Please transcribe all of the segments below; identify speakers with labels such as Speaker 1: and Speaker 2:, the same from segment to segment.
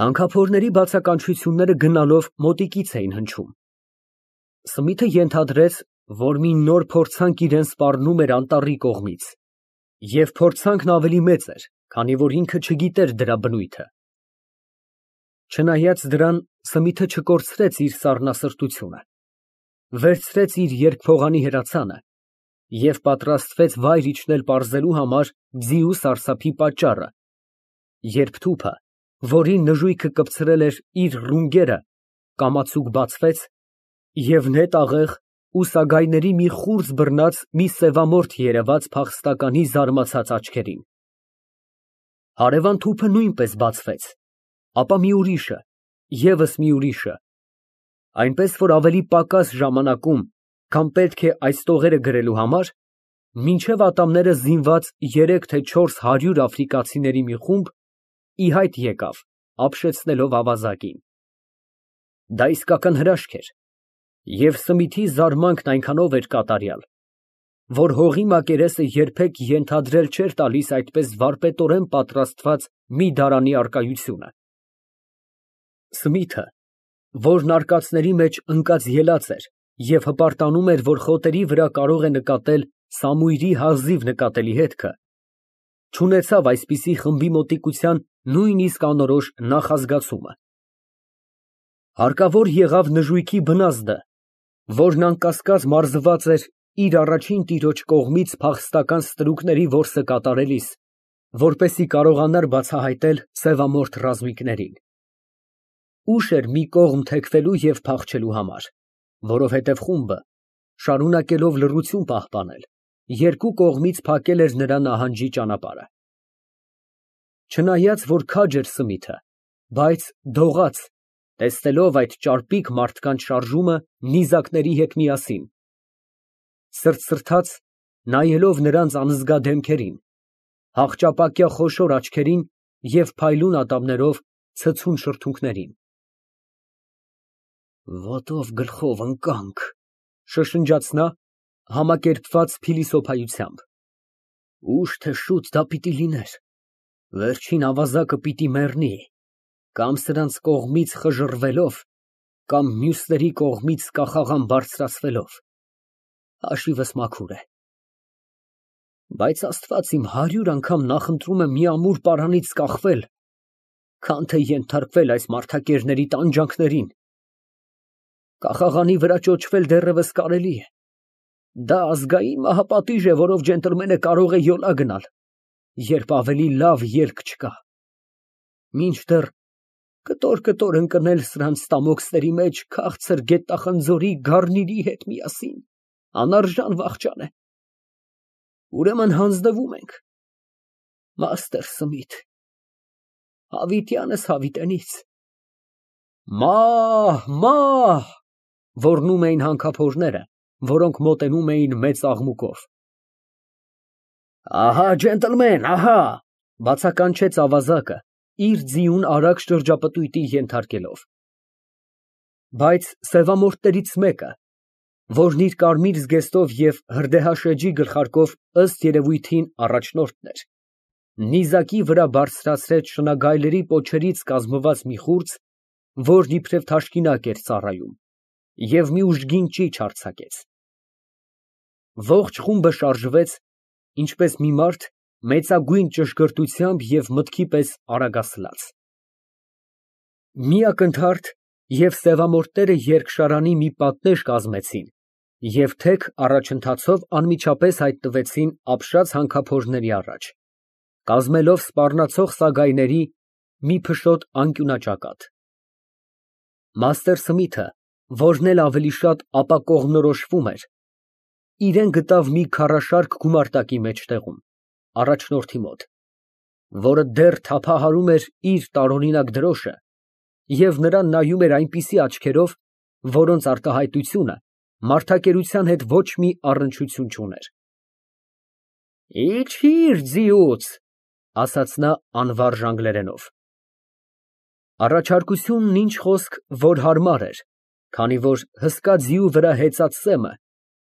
Speaker 1: Հանքափորների բացականչությունները գնալով մոտիկից էին հնչում։ Սմիթը ենթադրեց, որ մի նոր փորձանք իրան սպառնում էր անտառի կողմից, և փորձանքն ավելի մեծ էր, քանի որ ինքը չգիտեր դրա բնույթը։ Չնայած դրան, Սմիթը չկորցրեց իր սառնասրտությունը, վերցրեց իր երկփողանի հրացանը և պատրաստվեց վայր իջնել պարզելու համար ձիու սարսափի պատճառը, երբ թուփը, որին նժույգը կպցրել էր իր ռունգերը, կամացուկ բացվեց, և նետ աղեղ ու սագայների մի խուրձ բռնած մի սևամորթ երևաց փախստականի զարմացած աչքերին։ Հարևան թուփը նույնպես բացվեց, ապա մի ուրիշը, ևս մի ուրիշը, այնպես որ ավելի պակաս ժամանակում, քան պետք է այս տողերը գրելու համար, մինչև ատամները զինված 3 թե 400 աֆրիկացիների մի խումբ ի հայտ եկավ, ապշեցնելով ավազակին։ Դա իսկական հրաշք էր, և Սմիթի զարմանքն այնքանով էր կատարյալ, որ հողի մակերեսը երբեք ենթադրել չէր տալիս այդպես վարպետորեն պատրաստված մի դարանի առկայությունը։ Սմիթը, որն արկածների մեջ ընկած ելած էր և հպարտանում էր, որ խոտերի վրա կարող է նկատել Սամույրի հազիվ նկատելի հետքը, չունեցավ այսպիսի խմբի մոտիկության նույնիսկ անորոշ նախազգացումը։ Հարկավոր եղավ նժույգի բնազդը, որն անկասկած մարզված էր իր առաջին տիրոջ կողմից փախստական ստրուկների որսը կատարելիս, որպեսզի կարողանար բացահայտել սևամորթ ռազմիկներին։ Ուշ էր մի կողմ թեքվելու և փախչելու համար, որովհետև խումբը, շարունակելով լռություն պահպանել, երկու կողմից փակել էր նրա նահանջի ճանապարհը։ Չնայած որ քաջ էր Սմիթը, բայց դողաց, տեսնելով այդ ճարպիկ մարդկանց շարժումը նիզակների հետ միասին, սրտսրտաց, նայելով նրանց անզգա դեմքերին, հաղճապակյա խոշոր աչքերին և փայլուն ատամներով ցցուն շրթունքներին։ «Ոտով գլխով ընկանք», շշնջաց նա, համակերպված փիլիսոփայությամբ։ «Ուշ թե շուտ դա պիտի լիներ, վերջին ավազակը պիտի մեռնի, կամ սրանց կողմից խժռվելով, կամ մյուսների կողմից կախաղան բարձրացվելով, հաշիվս մաքուր է։ Բայց Աստված իմ 100 անգամ նախընտրում եմ մի ամուր պարանից կախվել, քան թե ենթարկվել այս մարդակերների տանջանքներին։ Կախաղանի վրա ճոճվել դեռևս կարելի է, դա ազգային մահապատիժ է, որով ջենտլմենը կարող է յոլա գնալ, երբ ավելի լավ ելք չկա, մինչդեռ կտոր ընկնել սրանց ստամոքսների մեջ քաղցր գետախնձորի գառնիի հետ միասին անարժան վախճան է։ Ուրեմն հանձնվում ենք, մաստեր Սմիթ, հավիտյանս հավիտենից։ Մահ, մահ, ոռնում էին հանքափորները, որոնք մոտենում էին մեծ աղմուկով։ Ահա, ջենտլմեն, ահա, բացականչեց ավազակը, իր ձիուն արագ շրջապտույտի ենթարկելով։ Բայց սևամորթներից մեկը, որն իր կարմիր զգեստով և հրդեհաշեջի գլխարկով ըստ երևույթին առաջնորդն էր, նիզակի վրա բարձրացրեց շնագայլերի պոչերից կազմված մի խուրձ, որն իբրև թաշկինակ էր ծառայում, և մի ուժգին ճիչ արձակեց։ Ողջ խումբը շարժվեց, ինչպես մի մարդ մեծագույն ճշգրտությամբ և մտքի պես արագասլաց։ Մի ակնթարթ և սևամորթները երկշարանի մի պատնեշ կազմեցին և թեք առաջընթացով անմիջապես հայտնվեցին ապշած հանքափորների առաջ, կազմելով սպառնացող սագայների մի փշոտ անկյունաճակատ։ Մաստեր Սմիթը, որն էլ ավելի շատ ապա կողմնորոշվում էր, իրան գտավ մի քարաշարք գումարտակի մեջտեղում, առաջնորդի մոտ, որը դեռ թափահարում էր իր տարօրինակ դրոշը և նրան նայում էր այնպիսի աչքերով, որոնց արտահայտությունը մարդակերության հետ ոչ մի առնչություն չուներ։ Իջհի՛ր ձիուց, ասաց նա անվարժ անգլերենով։ Առաջարկությունն ինչ խոսք, որ հարմար էր, քանի որ հսկա ձիու վրա հեծած սեմը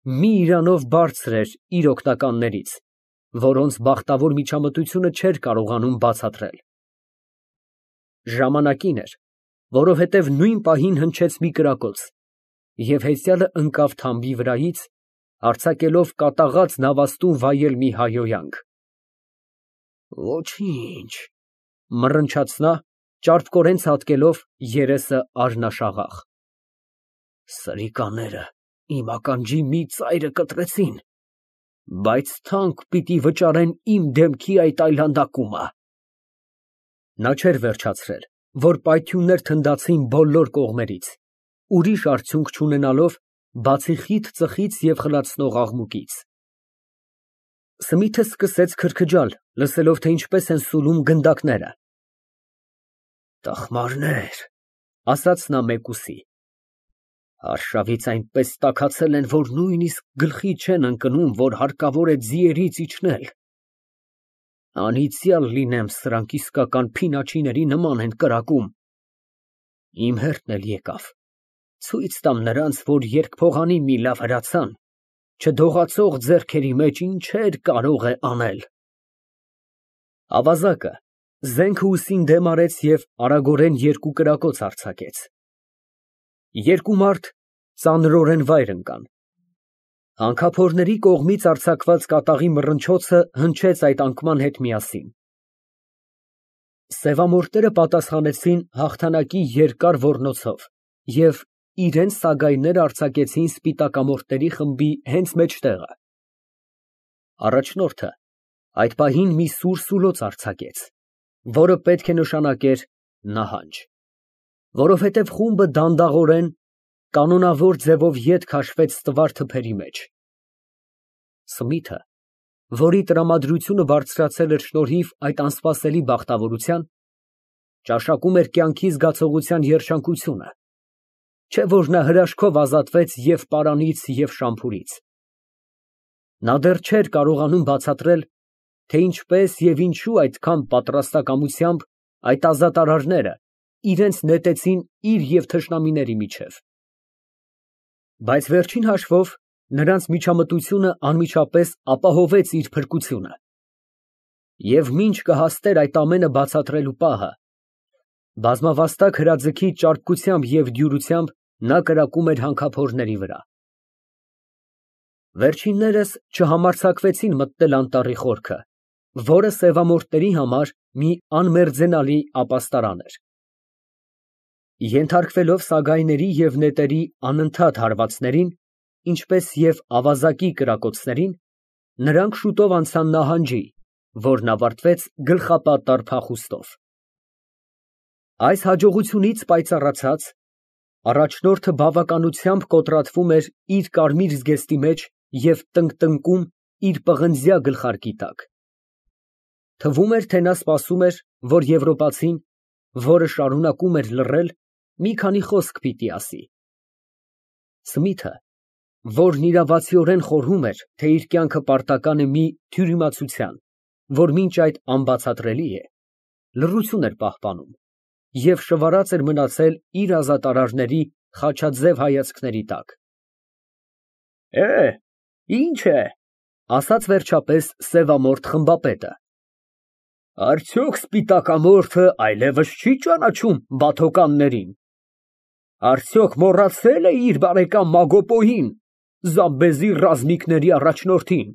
Speaker 1: մի իրանով բարձր էր իր օգնականներից, որոնց բախտավոր միջամտությունը չէր կարողանում բացատրել։ Ժամանակին էր, որովհետև նույն պահին հնչեց մի կրակոց, և հեծյալը ընկավ թամբի վրայից, արձակելով կատաղած նավաստուն վայել մի հայհոյանք։ Ոչինչ, մռնչաց նա, ճարպկորեն ցատկելով, երեսը արյունաշաղախ։ Սրիկաները իմ ականջի մի ծայրը կտրեցին, բայց թանկ պիտի վճարեն իմ դեմքի այդ այլանդակումը։ Նա չէր վերջացրել, որ պայթյուններ թնդացին բոլոր կողմերից, ուրիշ արդյունք չունենալով, բացի խիտ ծխից և խլացնող աղմուկից։ Սմիթը սկսեց քրքջալ, լսելով, թե ինչպես են սուլում գնդակները։ Տխմարներ, ասաց նա մեկուսի, արշավից այնպես տաքացել են, որ նույնիսկ գլխի չեն ընկնում, որ հարկավոր է ձիերից իջնել։ Անիծյալ լինեմ, սրանք իսկական փինաչիների նման են կրակում։ Իմ հերթն էլ եկավ, ցույց տամ նրանց, որ երկփողանի մի լավ հրացան, չդողացող ձեռքերի մեջ ինչեր կարող է անել։ Ավազակը զենքը ուսին դեմ արեց և արագորեն երկու կրակոց արձակեց։ Երկու մարդ ծանրորեն վայր ընկան։ Հանքափորների կողմից արձակված կատաղի մռնչոցը հնչեց այդ անկման հետ միասին։ Սևամորթները պատասխանեցին հաղթանակի երկար ոռնոցով և իրենց սագայները արձակեցին սպիտակամորթների խմբի հենց մեջտեղը։ Առաջնորդը այդ պահին մի սուր սուլոց արձակեց, որը պետք է նշանակեր նահանջ, որովհետև խումբը դանդաղորեն, կանոնավոր ձևով ետ քաշվեց տվար թփերի մեջ։ Սմիթը, որի տրամադրությունը բարձրացել էր շնորհիվ այդ անսպասելի բախտավորության, ճաշակում էր կյանքի զգացողության երջանկությունը, չէ՞ որ նա հրաշքով ազատվեց և պարանից, և շամփուրից։ Նա դեռ չէր կարողանում բացատրել, թե ինչպես և ինչու այդքան պատրաստակամությամբ այդ ազատարարները իրենց նետեցին իր և թշնամիների միջև։ Բայց վերջին հաշվով նրանց միջամտությունը անմիջապես ապահովեց իր փրկությունը։ Եվ մինչ կհասներ այդ ամենը բացատրելու պահը, բազմավաստակ հրաձգի ճարպկությամբ և դյուրությամբ նա կրակում էր հանքափորների վրա։ Վերջիններս չհամարձակվեցին մտնել անտառի խորքը, որը սևամորթների համար մի անմերձենալի ապաստարան էր։ Ենթարկվելով սագայների և նետերի անընդհատ հարվածներին, ինչպես և ավազակի կրակոցներին, նրանք շուտով անցան նահանջի, որն ավարտվեց գլխապատառ փախուստով։ Այս հաջողությունից պայծառացած, առաջնորդը բավականությամբ կոտրատվում էր իր կարմիր զգեստի մեջ և տնկտնկում իր պղնձյա գլխարկի տակ։ Թվում էր, թե նա սպասում էր, որ եվրոպացին, որը շարունակում էր լռել, մի քանի խոսք պիտի ասի։ Սմիթը, որն իրավացիորեն խորհում էր, թե իր կյանքը պարտական է մի թյուրիմացության, որ մինչ այդ անբացատրելի է, լռություն էր պահպանում և շվարած էր մնացել իր ազատարարների խաչաձև հայացքների տակ։ Ի՞նչ է, ասաց վերջապես սևամորթ խմբապետը։ Արդյոք սպիտակամորթը այլևս չի ճանաչում բաթոկաններին։ Արդյոք մոռացել է իր բարեկամ Մագոպոյին, Զամբեզի ռազմիկների առաջնորդին։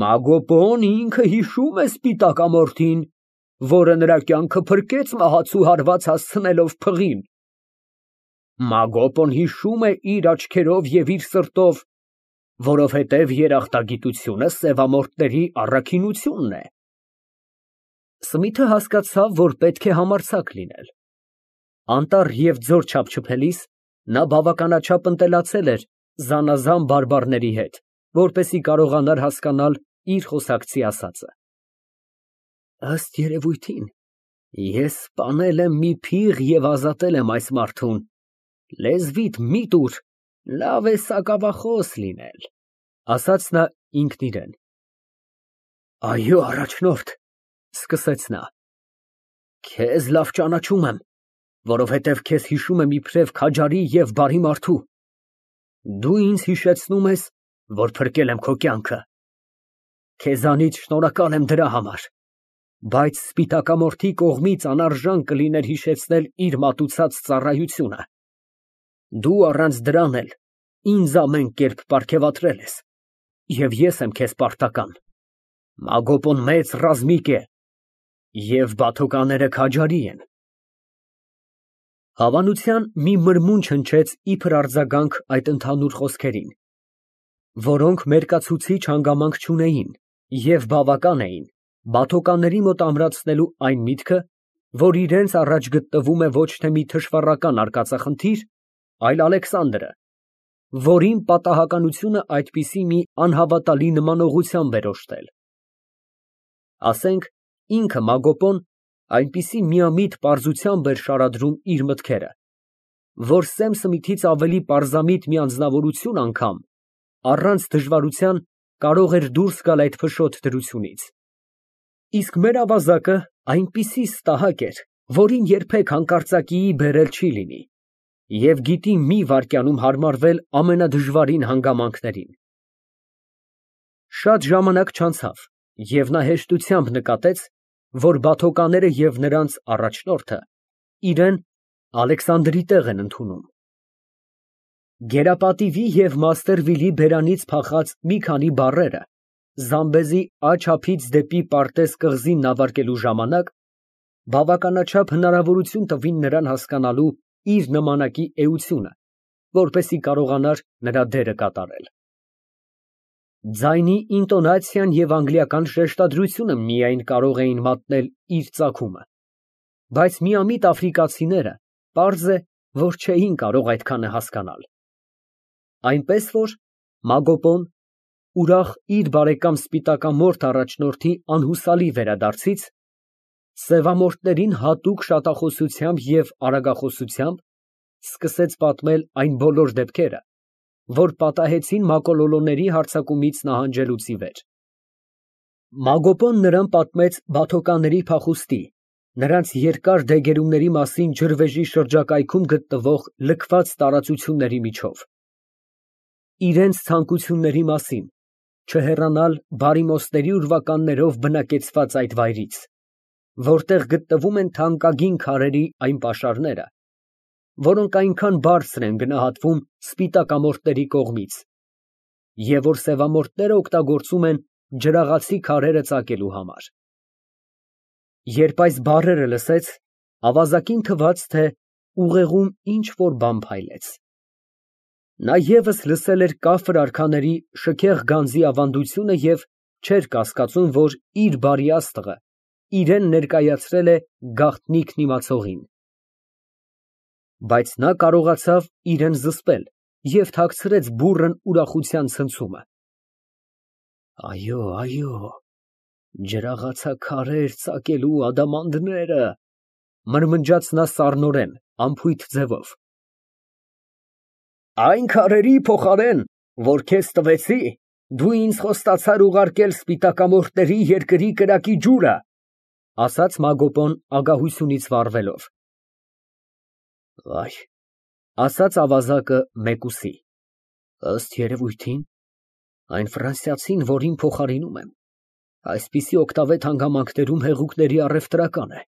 Speaker 1: Մագոպոն ինքը հիշում է սպիտակամորթին, որը նրա կյանքը փրկեց մահացու հարված հասցնելով փղին։ Մագոպոն հիշում է իր աչքերով և իր սրտով, որովհետև երախտագիտությունը սևամորթների առաքինությունն է։ Սմիթը հասկացավ, որ պետք է համարձակ լինել։ Անտառ և ձոր չափչփելիս նա բավականաչափ ընտելացել էր զանազան բարբառների հետ, որպեսզի կարողանար հասկանալ իր խոսակցի ասածը։ Ըստ երևույթին, ես սպանել եմ մի փիղ և ազատել եմ այս մարդուն, լեզվիդ մի տուր, լավ է սակավախոս լինել, ասաց նա ինքն իրան։ Այո, առաջնորդ, սկսեց նա, քեզ լավ ճանաչում եմ, որովհետև քեզ հիշում եմ իբրև քաջարի և բարի մարդու։ Դու ինձ հիշեցնում ես, որ փրկել եմ քո կյանքը։ Քեզանից շնորհակալ եմ դրա համար։ Բայց սպիտակամորթի կողմից անարժան կլիներ հիշեցնել իր մատուցած ծառայությունը։ Դու առանց դրան էլ ինձ ամեն կերպ պարգևատրել ես, և ես եմ քեզ պարտական։ Մագոպոն մեծ ռազմիկ է, և բաթոկաները քաջարի են։ Հավանության մի մրմունջ հնչեց իբր արձագանք այդ ընդհանուր խոսքերին, որոնք մերկացուցիչ հանգամանք չունեին և բավական էին բաթոկանների մոտ ամրացնելու այն միտքը, որ իրենց առաջ գտնվում է ոչ թե մի թշվառական արկածախնդիր, այլ Ալեքսանդրը, որին պատահականությունը այդպիսի մի անհավատալի նմանողությամբ էր օժտել։ Ասենք ինքը Մագոպոն այնպիսի միամիտ պարզությամբ էր շարադրում իր մտքերը, որ Սեմսմիթից ավելի պարզամիտ մի անձնավորություն անգամ առանց դժվարության կարող էր դուրս գալ այդ փշոտ դրությունից։ Իսկ մեր ավազակը այնպիսի ստահակ էր, որին երբեք հանկարծակիի բերել չի լինի, և գիտի մի վայրկյանում հարմարվել ամենադժվարին հանգամանքներին։ Շատ ժամանակ չանցավ, և նա հեշտությամբ նկատեց, որ բաթոկաները և նրանց առաջնորդը իրեն Ալեքսանդրի տեղ են ընդունում։ Գերապատիվի և Մաստերվիլի բերանից փախած մի քանի բառերը Զամբեզի աջ ափից դեպի Պարտես կղզին նավարկելու ժամանակ բավականաչափ հնարավորություն տվին նրան հասկանալու իր նմանակի էությունը, որպեսզի կարողանար նրա դերը կատարել։ Ձայնի ինտոնացիան և անգլիական շեշտադրությունը միայն կարող էին մատնել իր ծագումը, բայց միամիտ աֆրիկացիները պարզ է, որ չէին կարող այդքանը հասկանալ։ Այնպես որ Մագոպոն, ուրախ իր բարեկամ սպիտակամորթ առաջնորդի անհուսալի վերադարձից, սևամորթներին հատուկ շատախոսությամբ և արագախոսությամբ սկսեց պատմել այն բոլոր դեպքերը, որ պատահեցին մակոլոլոների հարձակումից նահանջելուց ի վեր։ Մագոպոն նրան պատմեց բաթոկանների փախուստի, նրանց երկար դեգերումների մասին ջրվեժի շրջակայքում գտնվող լքված տարածությունների միջով, իրենց ցանկությունների մասին չհեռանալ բարիմոսների ուրվականներով բնակեցված այդ վայրից, որտեղ գտնվում են թանկագին քարերի այն պաշարները, որոնք այնքան բարձր են գնահատվում սպիտակամորթների կողմից, և որ սևամորթները օգտագործում են ջրաղացի քարերը ծակելու համար։ Երբ այս բառերը լսեց, ավազակին թվաց, թե ուղեղում ինչ֊որ բան փայլեց։ Նա ևս լսել էր կաֆր արքաների շքեղ գանձի ավանդությունը և չէր կասկածում, որ իր բարի աստղը իրեն ներկայացրել է գաղտնիքն իմացողին։ Բայց նա կարողացավ իրեն զսպել և թաքցրեց բուռն ուրախության ցնցումը։ Այո, ջրաղացաքարեր ծակելու ադամանդները, մրմնջաց նա սառնորեն, անփույթ ձևով։ Այն քարերի փոխարեն, որ քեզ տվեցի, դու ինձ խոստացար ուղարկել սպիտակամորթների երկրի կրակի ջուրը, ասաց Մագոպոն ագահությունից վառվելով։ Վայ, ասաց ավազակը մեկուսի, ըստ երևույթին, այն ֆրանսիացին, որին փոխարինում եմ, այսպիսի օգտավետ հանգամանքներում հեղուկների առևտրական է։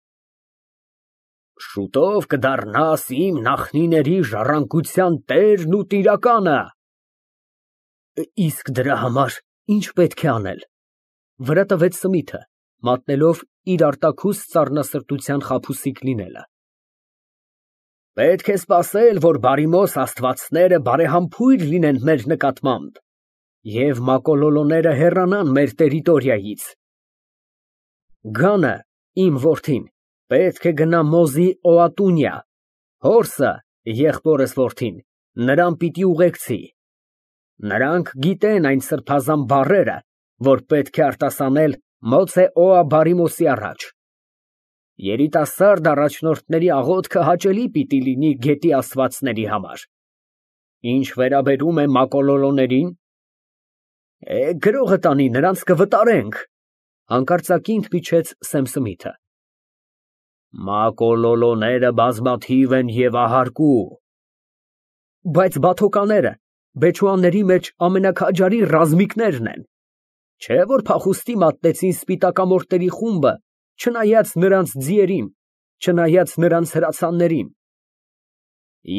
Speaker 1: Շուտով կդառնաս իմ նախնիների ժառանգության տերն ու տիրականը։ Իսկ դրա համար ի՞նչ պետք է անել, վրա տվեց Սմիթը, մատնելով իր արտաքուստ սառնասրտության խաբուսիկ լինելը։ Պետք է սպասել, որ բարիմոս աստվածները բարեհամբույր լինեն մեր նկատմամբ, և մակոլոլոները հեռանան մեր տերիտորիայից։ Գանը, իմ որդին, պետք է գնա Մոզի Օատունյա, հորսը, եղբորս որդին, նրան պիտի ուղեկցի։ Նրանք գիտեն այն սրբազան բառերը, որ պետք է արտասանել Մոցե Օա բարիմոսի առաջ։ Երիտասարդ առաջնորդների աղոթքը հաճելի պիտի լինի գետի աստվածների համար։ Ինչ վերաբերում է մակոլոլոներին, գրողը տանի, նրանց կվտարենք, հանկարծակի ընդմիջեց Սեմսմիթը։ Մակոլոլոները բազմաթիվ են և ահարկու։ Բայց բաթոկաները Բեչուանների մեջ ամենաքաջարի ռազմիկներն են, չէ՞ որ փախուստի մատնեցին սպիտակամորթների խումբը չնայած նրանց ձիերին, չնայած նրանց հրացաններին։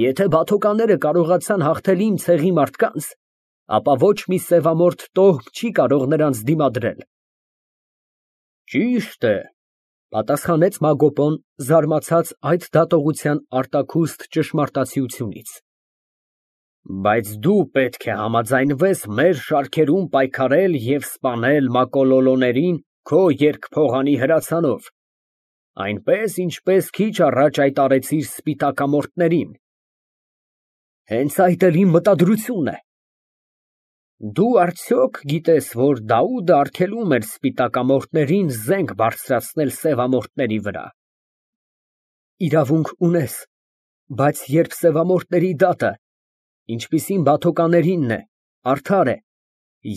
Speaker 1: Եթե բաթոկանները կարողացան հաղթել իմ ցեղի մարդկանց, ապա ոչ մի սևամորթ տոհմ չի կարող նրանց դիմադրել։ Ճիշտ է, պատասխանեց Մագոպոն, զարմացած այդ դատողության արտաքուստ ճշմարտացիությունից։ Բայց դու պետք է համաձայնվես մեր շարքերում պայքարել և սպանել մակոլոլոներին քո երկփողանի հրացանով, այնպես, ինչպես քիչ առաջ այդ արեցիր սպիտակամորթներին։ Հենց այդ էլ իմ մտադրությունն է։ Դու արդյոք գիտես, որ Դաուդը արգելում էր սպիտակամորթներին զենք բարձրացնել սևամորթների վրա։ Իրավունք ունես, բայց երբ սևամորթների դատը, ինչպիսին բաթոկաներինն է, արդար է,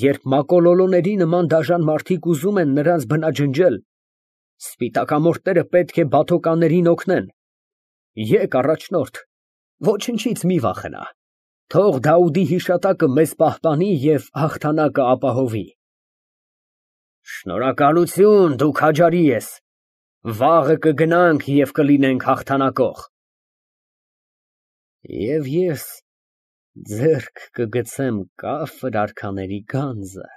Speaker 1: երբ մակոլոլոների նման դաժան մարդիկ ուզում են նրանց բնաջնջել, սպիտակամորթները պետք է բաթոկաներին օգնեն։ Եկ, առաջնորդ, ոչնչից մի վախենա, թող Դաուդի հիշատակը մեզ պահպանի և հաղթանակը ապահովի։ Շնորհակալություն, դու քաջարի ես, վաղը կգնանք և կլինենք հաղթանակող։ Եվ ես ձեռք կգցեմ կաֆր արքաների գանձը։